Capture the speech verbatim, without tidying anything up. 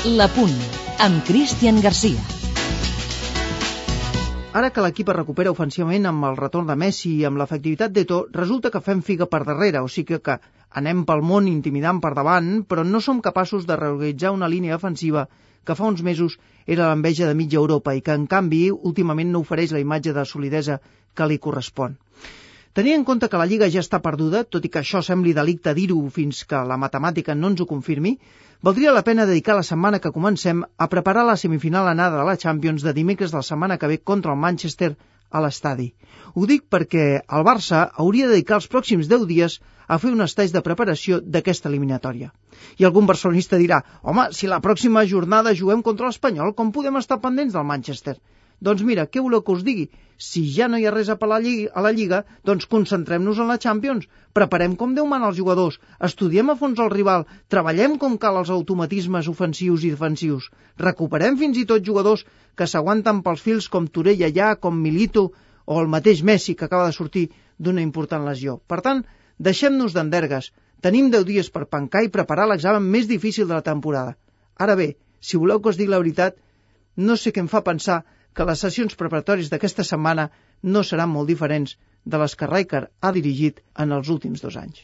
La Punt, amb Cristian Garcia. Ara que l'equip es recupera ofensivament amb el retorn de Messi i amb l'efectivitat d'Eto'o, resulta que fem figa per darrere, o sigui que anem pel món intimidant per davant, però no som capaços de reorganitzar una línia defensiva que fa uns mesos era l'enveja de mitja Europa i que, en canvi, últimament no ofereix la imatge de solidesa que li correspon. Tenint en compte que la Lliga ja està perduda, tot i que això sembli delicte dir-ho fins que la matemàtica no ens ho confirmi, valdria la pena dedicar la setmana que comencem a preparar la semifinal anada de la Champions de dimecres de la setmana que ve contra el Manchester a l'estadi. Ho dic perquè el Barça hauria de dedicar els pròxims deu dies a fer un estage de preparació d'aquesta eliminatòria. I algun barcelonista dirà, home, si la pròxima jornada juguem contra l'Espanyol, com podem estar pendents del Manchester? Doncs mira, què voleu que us digui? Si ja no hi ha res a la Lliga, a la Lliga doncs concentrem-nos en la Champions. Preparem com Déu mana els jugadors, estudiem a fons el rival, treballem com cal els automatismes ofensius i defensius, recuperem fins i tot jugadors que s'aguanten pels fils com Torella ja, com Milito o el mateix Messi que acaba de sortir d'una important lesió. Per tant, deixem-nos d'endergues. Tenim deu dies per pencar i preparar l'examen més difícil de la temporada. Ara bé, si voleu que us digui la veritat, no sé què em fa pensar que les sessions preparatòries d'aquesta setmana no seran molt diferents de les que Rijkaard ha dirigit en els últims dos anys.